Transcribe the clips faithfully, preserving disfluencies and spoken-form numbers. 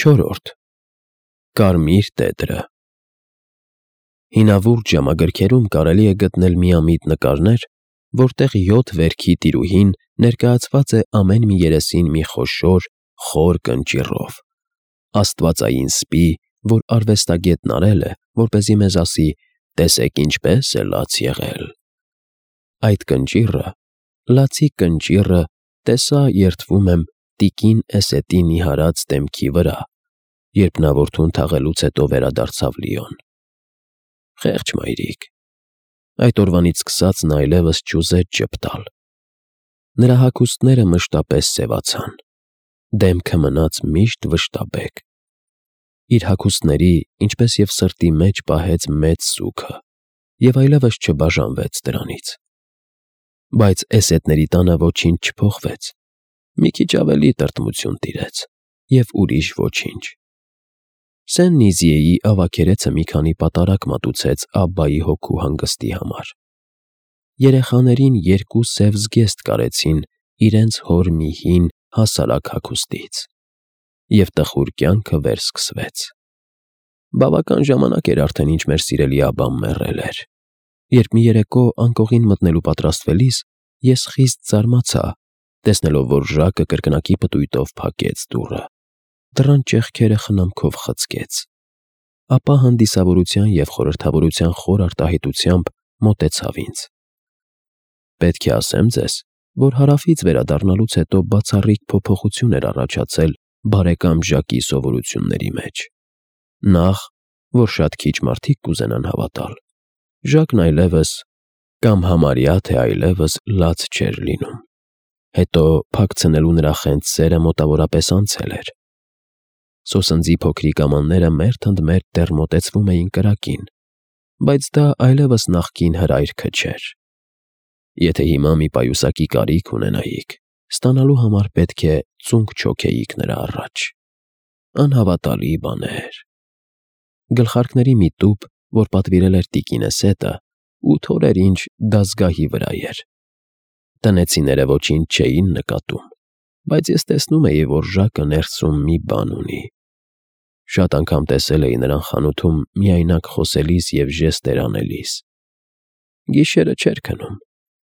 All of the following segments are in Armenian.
Չորրորդ Կարմիր տետրը Հինավուրց ժամագրքերում կարելի է գտնել միամիտ նկարներ, որտեղ յոթ վերքի տիրուհին ներկայացված է ամեն մի երեսին մի խոշոր, խոր կնճիռով, աստվածային սպի, որ արվեստագետն արել է, որպեսզի մեզ ասի. «Տեսեք ինչպես է լաց եղել»։ Այդ կնճիռը, լացի կնճիռը, տեսա, երդվում եմ, տիկին Էսետի նիհարած դեմքի վրա, երբ նա որդուն թաղելուց հետո վերադարձավ Լիոն։ Խեղճ մայրիկ։ Այդ օրվանից սկսած նա այլևս չուզեց ժպտալ։ Նրա հագուստները մշտապես սևացան, դեմքը մնաց միշտ վշտաբեկ։ Իր հագուստների, ինչպես և սրտի մեջ պահեց մեծ սուգը և այլևս չբաժանվեց դրանից։ Բայց Էսետների տանը ոչինչ չփոխվեց, մի քիչ ավելի տրտմություն տիրեց և ուրիշ ոչինչ։ Սեն֊Նիզիեի ավագերեցը մի քանի պատարագ մատուցեց Աբբայի հոգու հանգստի համար։ Երեխաներին երկու սև զգեստ կարեցին իրենց հոր մի հին, հասարակ հագուստից, և տխուր կյանքը վերսկսվեց։ Բավական ժամանակ էր արդեն, ինչ մեր սիրելի Աբբան մեռել էր, երբ մի երեկո անկողին մտնելու պատրաստվելիս ես խիստ զարմացա, տեսնելով, որ Ժակը կրկնակի պտույտով փակեց դուռը, դռան ճեղքերը խնամքով խցկեց, ապա հանդիսավորության և խորհրդավորության խոր արտահայտությամբ մոտեցավ ինձ։ Պետք է ասեմ ձեզ, որ Հարավից վերադառնալուց հետո բացառիկ փոփոխություն էր առաջացել բարեկամ Ժակի սովորությունների մեջ։ Նախ, որ շատ քիչ մարդիկ կուզենան հավատալ, Ժակն այլևս, կամ համարյա թե այլևս լաց չէր լինում։ Հետո փակցնելու նրա խենթ սերը մոտավորապես անցել էր։ Սոսնձի փոքրիկ ամանները մերթ ընդ մերթ դեռ մոտեցվում էին կրակին, բայց դա այլևս նախկին հրայրքը չէր։ Եթե հիմա մի պայուսակի կարիք ունենայիք, ստանալու համար պետք է ծունկ չոքեիք նրա առաջ։ Անհավատալի բաներ։ Գլխարկների մի տուփ, որ պատվիրել էր տիկին Էսետը, ութ օր էր ինչ դազգահի վրա էր։ Տնեցիները ոչինչ չէին նկատում, բայց ես տեսնում էի, որ Ժակը ներսում մի բան ունի։ Շատ անգամ տեսել էի նրան խանութում միայնակ խոսելիս և ժեստեր անելիս։ Գիշերը չէր քնում,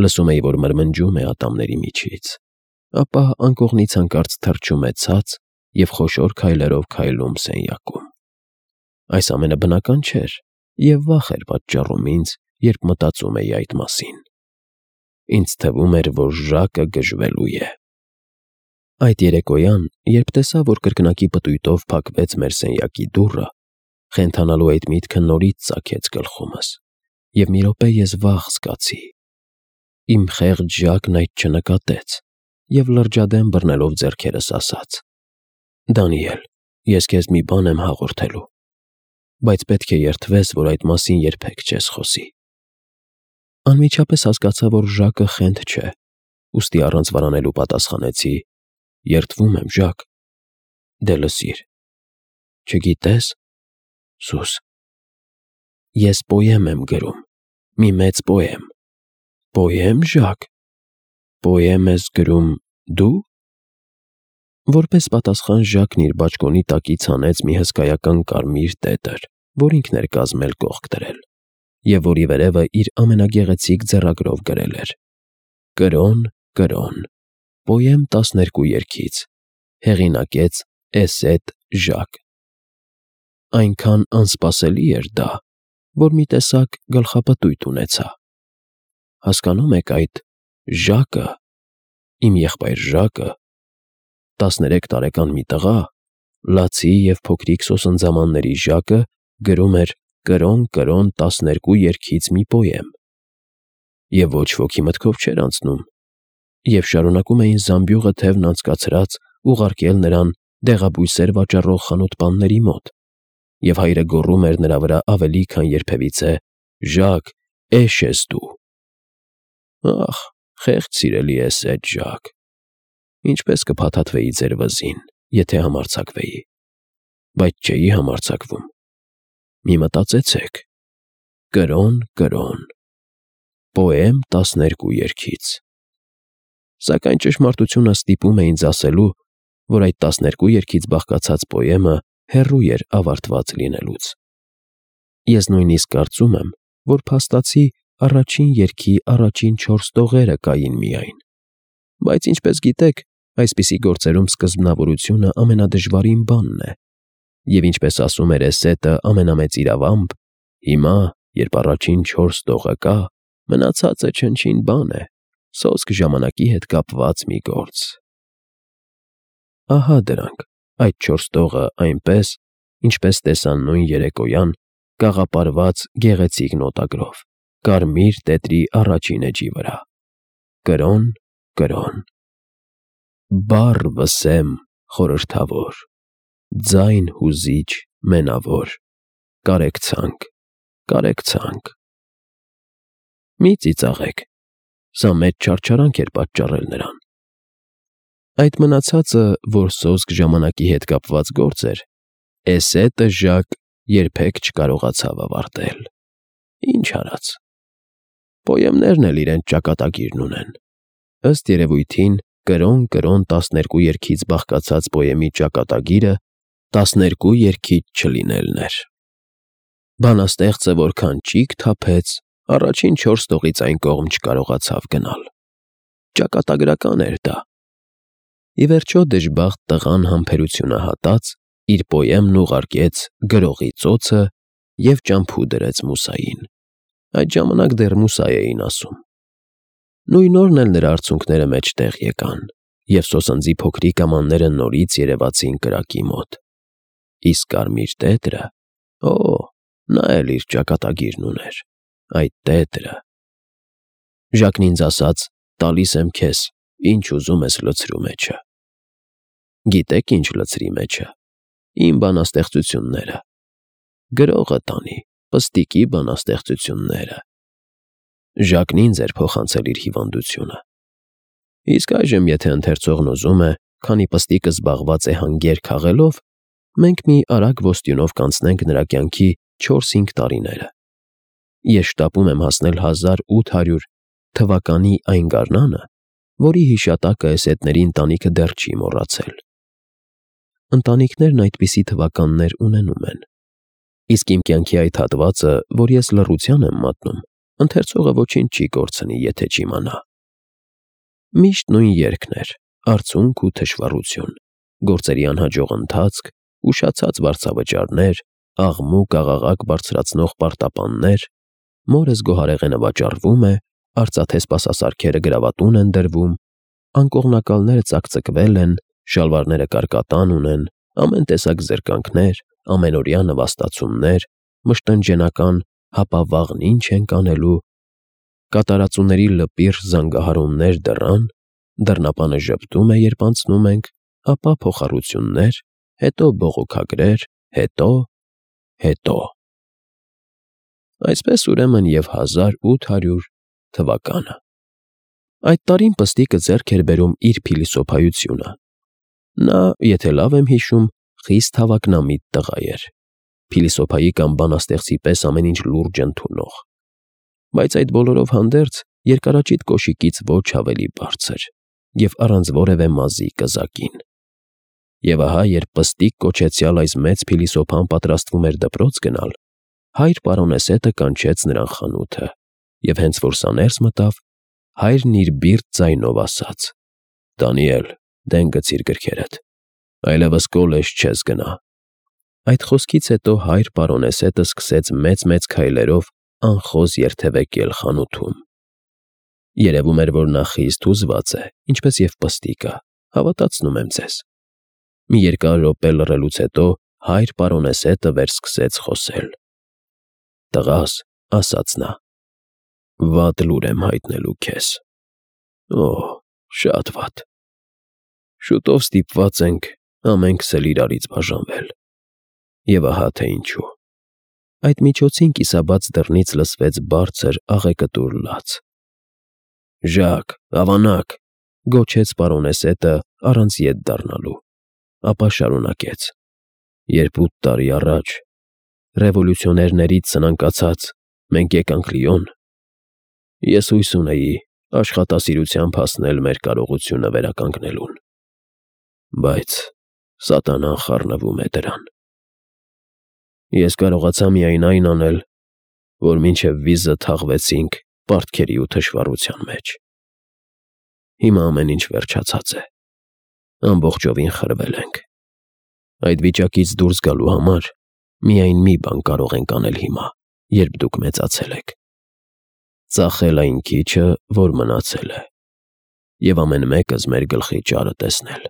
լսում էի, որ մրմնջում է ատամների միջից, ապա անկողնից հանկարծ թռչում է ցած և խոշոր քայլերով քայլում սենյակում։ Այս ամենը բնական չէր և վախ էր պատճառում ինձ, երբ մտածում էի այդ մասին։ Ինձ թվում էր, որ Ժակը գժվելու է։ Այդ երեկոյան, երբ տեսա, որ կրկնակի պտույտով փակվեց մեր սենյակի դուռը, խենթանալու այդ միտքը նորից ծագեց գլխումս, և մի րոպե ես վախ զգացի։ Իմ խեղճ Ժակն այդ չնկատեց և լրջադեմ բռնելով ձեռքերս ասաց. «Դանիել, ես քեզ մի բան եմ հաղորդելու, բայց պետք է երդվես, որ այդ մասին երբեք չես խոսի»։ Անմիջապես հասկացա, որ Ժակը խենթ չէ, ուստի առանց վարանելու պատասխանեցի. «Երդվում եմ, Ժակ»։ Դե լսիր։ Չգիտես, սուս, ես պոեմ եմ գրում, մի մեծ պոեմ։ Պոե՞մ, Ժակ։ Պոեմ ես գրում դու։ Որպես պատասխան Ժակն իր բաճկոնի տակից հանեց մի հսկայական կարմիր տետր, որ ինքն էր կազմել կողք դրել, և որի վերևը իր ամենագեղեցիկ ձեռագրով գրել էր. «Կրոն, կրոն, պոեմ տասներկու երգից, հեղինակեց Էսետ Ժակ»։ Այնքան անսպասելի էր դա, որ մի տեսակ գլխապտույտ ունեցա։ Հասկանո՞ւմ եք այդ Ժակը, իմ եղբայր Ժակը, տասներեք տարեկան մի տղա, լացի և փոքրիկ սոսնձամանների Ժակը գրում էր «Կրոն, կրոն, տասներկու երգից» մի պոեմ։ Եվ ոչ ոքի մտքով չէր անցնում, և շարունակում էին զամբյուղը թևն անցկացրած ուղարկել նրան դեղաբույսեր վաճառող խանութպանների մոտ, և հայրը գոռում էր նրա վրա ավելի, քան երբևիցե. «Ժակ, էշ ես դու»։ Ախ, խեղճ սիրելի Էսետ Ժակ, ինչպես կփաթաթվեի ձեր վզին, եթե համարձակվեի, բայց չէի համարձակվում։ Մի մտածեցեք. «Կրոն, կրոն, պոեմ տասներկու երգից»։ Սակայն ճշմարտությունը ստիպում է ինձ ասելու, որ այդ տասներկու երգից բաղկացած պոեմը հեռու էր ավարտված լինելուց։ Ես նույնիսկ կարծում եմ, որ փաստացի առաջին երգի առաջին չորս տողերը կային միայն։ Բայց ինչպես գիտեք, այսպիսի գործերում սկզբնավորությունը ամենադժվարին բանն է, և ինչպես ասում էր Էսետը ամենամեծ իրավամբ, հիմա, երբ առաջին չորս տողը կա, մնացածը չնչին բան է, սոսկ ժամանակի հետ կապված մի գործ։ Ահա դրանք, այդ չորս տողը այնպես, ինչպես տեսան նույն երեկոյան, կաղապարված գեղեցիկ նոտագրով, կարմիր տետրի առաջին էջի վրա. կրոն, կրոն, բառ վսեմ խորհրդավոր, ձայն հուզիչ մենավոր, կարեկցանք, կարեկցանք։ Մի ծիծաղեք, սա մեծ չարչարանք էր պատճառել նրան։ Այդ մնացածը, որ սոսկ ժամանակի հետ կապված գործ էր, Էսետը Ժակ երբեք չկարողացավ ավարտել։ Ինչ արած։ Պոեմներն էլ իրենց ճակատագիրն ունեն։ Ըստ երևույթին, կրոն, կրոն տասներկու երգից բաղկացած պոեմի ճակատագիրը տասներկու երգից չլինելն էր։ Բանաստեղծը որքան ճիգ թափեց, առաջին չորս տողից այն կողմ չկարողացավ գնալ։ Ճակատագրական էր դա։ Ի վերջո դժբախտ տղան համբերությունը հատած, իր պոեմն ուղարկեց գրողի ծոցը և ճամփու դրեց Մուսային։ Այդ ժամանակ դեռ Մուսա էին ասում։ Նույն օրն էլ նրա արցունքները մեջտեղ եկան, և սոսնձի փոքրիկ ամանները նորից երևացին կրակի մոտ։ Իսկ կարմիր տետրը, օ, նա էլ իր ճակատագիրն ուներ, այդ տետրը։ Ժակն ինձ ասաց. «Տալիս եմ քեզ, ինչ ուզում ես լցրու մեջը»։ Գիտեք ինչ լցրի մեջը։ Իմ բանաստեղծությունները։ Գրողը տանի, պստիկի բանաստեղծությունները։ Ժակն ինձ էր փոխանցել իր հիվանդությունը։ Իսկ այժմ, եթե ընթերցողն ուզում է, քանի պստիկը զբաղված է հանգեր քաղելով, մենք մի արագ ոստյունով կանցնենք նրա կյանքի չորս-հինգ տարիները։ Ես շտապում եմ հասնել հազար ութ հարյուր թվականի այն գարնանը, որի հիշատակը Էսետների ընտանիքը դեռ չի մոռացել։ Ընտանիքներն այդպիսի թվականներ ունենում են։ Իսկ իմ կյանքի այդ հատվածը, որ ես լռության եմ մատնում, ընթերցողը ոչինչ չի կորցնի, եթե չիմանա։ Միշտ նույն երգն էր՝ արցունք ու թշվառություն, գործերի անհաջող ընթացք, ուշացած վարձավճարներ, աղմուկ-աղաղակ բարձրացնող պարտապաններ, մորս գոհարեղենը վաճառվում է, արծաթե սպասասարքերը գրավատուն են դրվում, անկողնակալները ծակծկվել են, շալվարները կարկատան ունեն, ամեն տեսակ զրկանքներ, ամենօրյա նվաստացումներ, մշտնջենական «հապա վաղն ինչ ենք անելու», կատարածուների լպիրտ զանգահարումներ դռան, դռնապանը ժպտում է, երբ անցնում ենք, ապա փոխառություններ, հետո բողոքագրեր, հետո… հետո… Այսպես ուրեմն և հազար ութ հարյուր թվականը։ Այդ տարին պստիկը ձեռք էր բերում իր փիլիսոփայությունը։ Նա, եթե լավ եմ հիշում, խիստ հավակնամիտ տղա էր, փիլիսոփայի կամ բանաստեղծի պես ամեն ինչ լուրջ ընդունող։ Բայց այդ բոլորով հանդերձ երկարաճիտ կոշիկից ոչ ավելի բարձր և առանց որևէ մազի կզակին։ Եվ ահա, երբ պստիկ կոչեցյալ այս մեծ փիլիսոփան պատրաստվում էր դպրոց գնալ, հայր պարոնեսետը կանչեց նրան խանութը, և հենց որ սա ներս մտավ, հայրն իր բիրտ ձայնով ասաց. «Դանիել, դեն գցիր գրքերդ, այլևս կոլեջ չես գնա»։ Այդ խոսքից հետո հայր պարոնեսետը սկսեց մեծ-մեծ քայլերով անխոզ երթևեկել խանութում։ Երևում էր, որ նա խիստ հուզված է, ինչպես և պստիկը, հավատացնում եմ ձեզ։ Մի երկար րոպե լռելուց հետո հայր պարոնեսետը վերսկսեց խոսել. «Տղաս», ասաց նա, «վատ լուր եմ հայտնելու քեզ։ Օ՜, շատ վատ։ Շուտով ստիպված ենք ամենքս էլ իրարից բաժանվել։ Եվ ահա թե ինչու»։ Այդ միջոցին կիսաբաց դռնից լսվեց բարձր աղեկտուր լաց։ «Ժակ, ավանակ», գոչեց պարոնեսետը առանց ետ դառնալու, ապա շարունակեց. «Երբ ութ տարի առաջ, ռևոլյուցիոներներից սնանկացած, մենք եկանք Լիոն, ես հույս ունեի աշխատասիրությամբ հասնել մեր կարողությունը վերականգնելուն։ Բայց սատանան խառնվում է դրան։ Ես կարողացա միայն այն անել, որ մինչև վիզը թաղվեցինք պարտքերի ու թշվառության մեջ։ Հիմա ամեն ինչ վերջացած է։ Ամբողջովին խրվել ենք։ Այդ վիճակից դուրս գալու համար միայն մի բան կարող ենք անել հիմա, երբ դուք մեծացել եք։ Ծախել այն քիչը, որ մնացել է, և ամեն մեկս մեր գլխի ճարը տեսնել։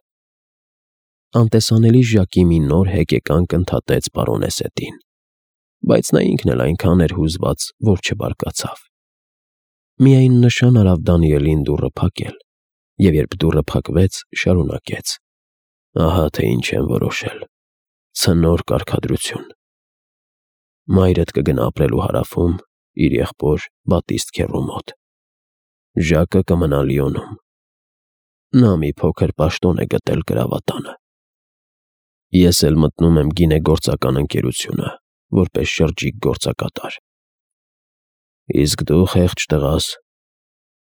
Անտեսանելի Ժակի մի նոր հեկեկանք ընդհատեց պարոնեսետին, բայց նա ինքն էլ այնքան էր հուզված, որ չբարկացավ։ Միայն նշան արավ Դանիելին դուռը փակել, և երբ դուռը փակվեց, շարունակեց. «Ահա թե ինչ եմ որոշել. ցնոր կարգադրություն։ Մայրդ կգնա ապրելու Հարավում իր եղբոր Բատիստ քեռու մոտ։ Ժակը կմնա Լիոնում։ Նա մի փոքր պաշտոն է գտել գրավատանը։ Ես էլ մտնում եմ գինեգործական ընկերությունը, որպես շրջիկ գործակատար։ Իսկ դու, խեղճ տղաս,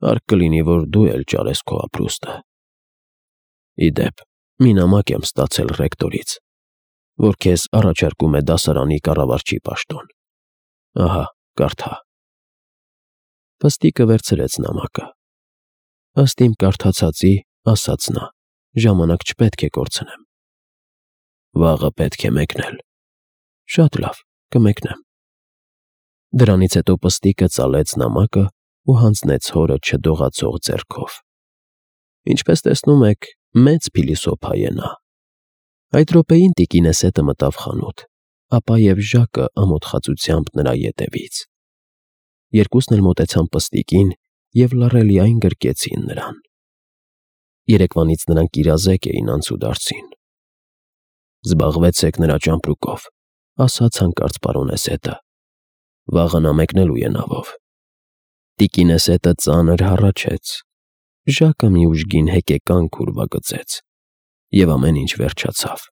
հարկ կլինի, որ դու էլ ճարես քո ապրուստը։ Ի դեպ, մի նամակ եմ ստացել ռեկտորից, որ քեզ առաջարկում է դասարանի կառավարչի պաշտոն։ Ահա, կարդա»։ Պստիկը վերցրեց նամակը։ «Ըստ իմ կարդացածի, — ասաց նա, — ժամանակ չպետք է կորցնեմ»։ «Վաղը պետք է մեկնել»։ «Շատ լավ, կմեկնեմ»։ Դրանից հետո Պստիկը ծալեց նամակը ու հանձնեց հորը չդողացող ձեռքով։ Ինչպես տեսնում եք, մեծ փիլիսոփա է նա։ Այդ րոպեին տիկինեսետը մտավ խանութ, ապա և Ժակը ամոթխածությամբ նրա ետևից։ Երկուսն էլ մոտեցան Պստիկին և լռելիայն գրկեցին նրան։ Երեկվանից նրանք իրազեկ էին անցուդարձին։ «Զբաղվեցեք նրա ճամպրուկով», — ասաց հանկարծ պարոնեսետը։ «Վաղը նա մեկնելու է նավով»։ Տիկինեսետը ծանր հառաչեց։ Ժակը մի ուժգին հեկեկանք ուրվագծեց, և ամեն ինչ վերջացավ։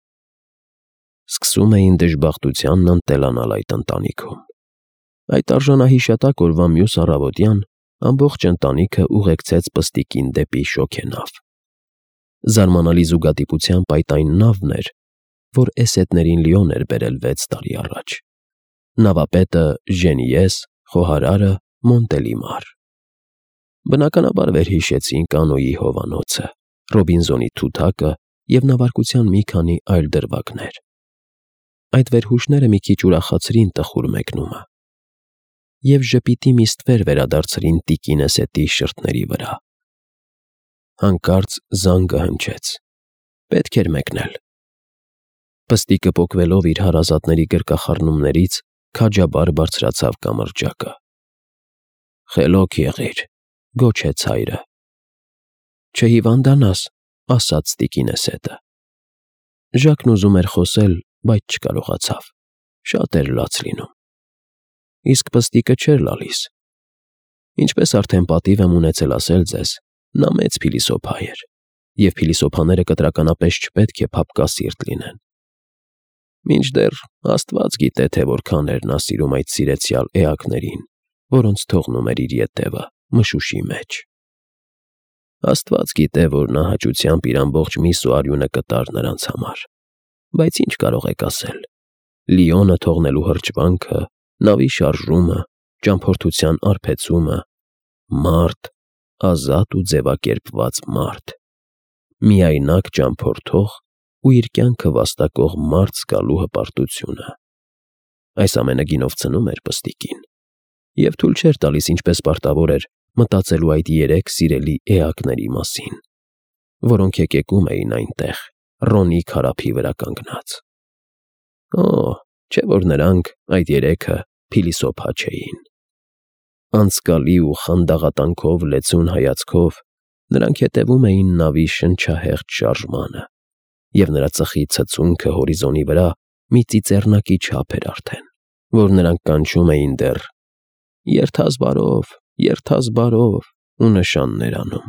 Սկսում էին դժբախտությանն ընտելանալ այդ ընտանիքում։ Այդ արժանահիշատակ օրվա մյուս առավոտյան ամբողջ ընտանիքը ուղեկցեց Պստիկին դեպի շոգենավ։ Զարմանալի զուգադիպությամբ այդ այն նավն էր, որ էսեդներին Լիոն էր բերել վեց տարի առաջ։ Նավապետը Ժենիես, խոհարարը Մոնտելիմար։ Բնականաբար վերհիշեցին կանոյի հովանոցը, Ռոբինզոնի թութակը և նավարկության մի քանի այլ դրվագներ։ Այդ վերհուշները մի քիչ ուրախացրին տխուր մեկնումը և ժպիտի մի ստվեր վերադարձրին տիկինեսետի շրթների վրա։ Հանկարծ զանգը հնչեց։ Պետք էր մեկնել։ Պստիկը պոկվելով իր հարազատների գրկախառնումներից քաջաբար բարձրացավ կամրջակը։ «Խելոք եղիր», — գոչեց հայրը։ «Չհիվանդանաս», — ասաց տիկինեսետը։ Ժակն ուզում էր խոսել, բայց չկարողացավ։ Շատ էր լաց լինում։ Իսկ Պստիկը չէր լալիս։ Ինչպես արդեն պատիվ եմ ունեցել ասել ձեզ, նա մեծ փիլիսոփա էր, և փիլիսոփաները կտրականապես չպետք է փափկասիրտ լինեն։ Մինչդեռ Աստված գիտե, թե որքան էր նա սիրում այդ սիրեցյալ էակներին, որոնց թողնում էր իր ետևը մշուշի մեջ։ Աստված գիտե, որ նա հաճությամբ իր ամբողջ միս ու արյունը կտար նրանց համար։ Բայց ինչ կարող եք ասել։ Լիոնը թողնելու հրճվանքը, նավի շարժումը, ճամփորդության արբեցումը, մարդ, ազատ ու ձևակերպված մարդ, միայնակ ճամփորդող ու իր կյանքը վաստակող մարդ զգալու հպարտությունը։ Այս ամենը գինով ցնում էր Պստիկին և թույլ չէր տալիս, ինչպես պարտավոր էր, մտածելու այդ երեք սիրելի էակների մասին, որոնք եկեկում էին այնտեղ, Ռոնի քարափի վրա կանգնած։ Օ, չէ՞ որ նրանք, այդ երեքը, փիլիսոփա չէին։ Անցկալի ու խանդաղատանքով լեցուն հայացքով նրանք հետևում էին նավի շնչահեղձ շարժմանը, և նրա ծխի ցցունքը հորիզոնի վրա մի ծիծեռնակի չափ էր արդեն, որ նրանք կանչում էին դեռ «Երթազ բարով, երթազ բարով» ու նշաններ անում։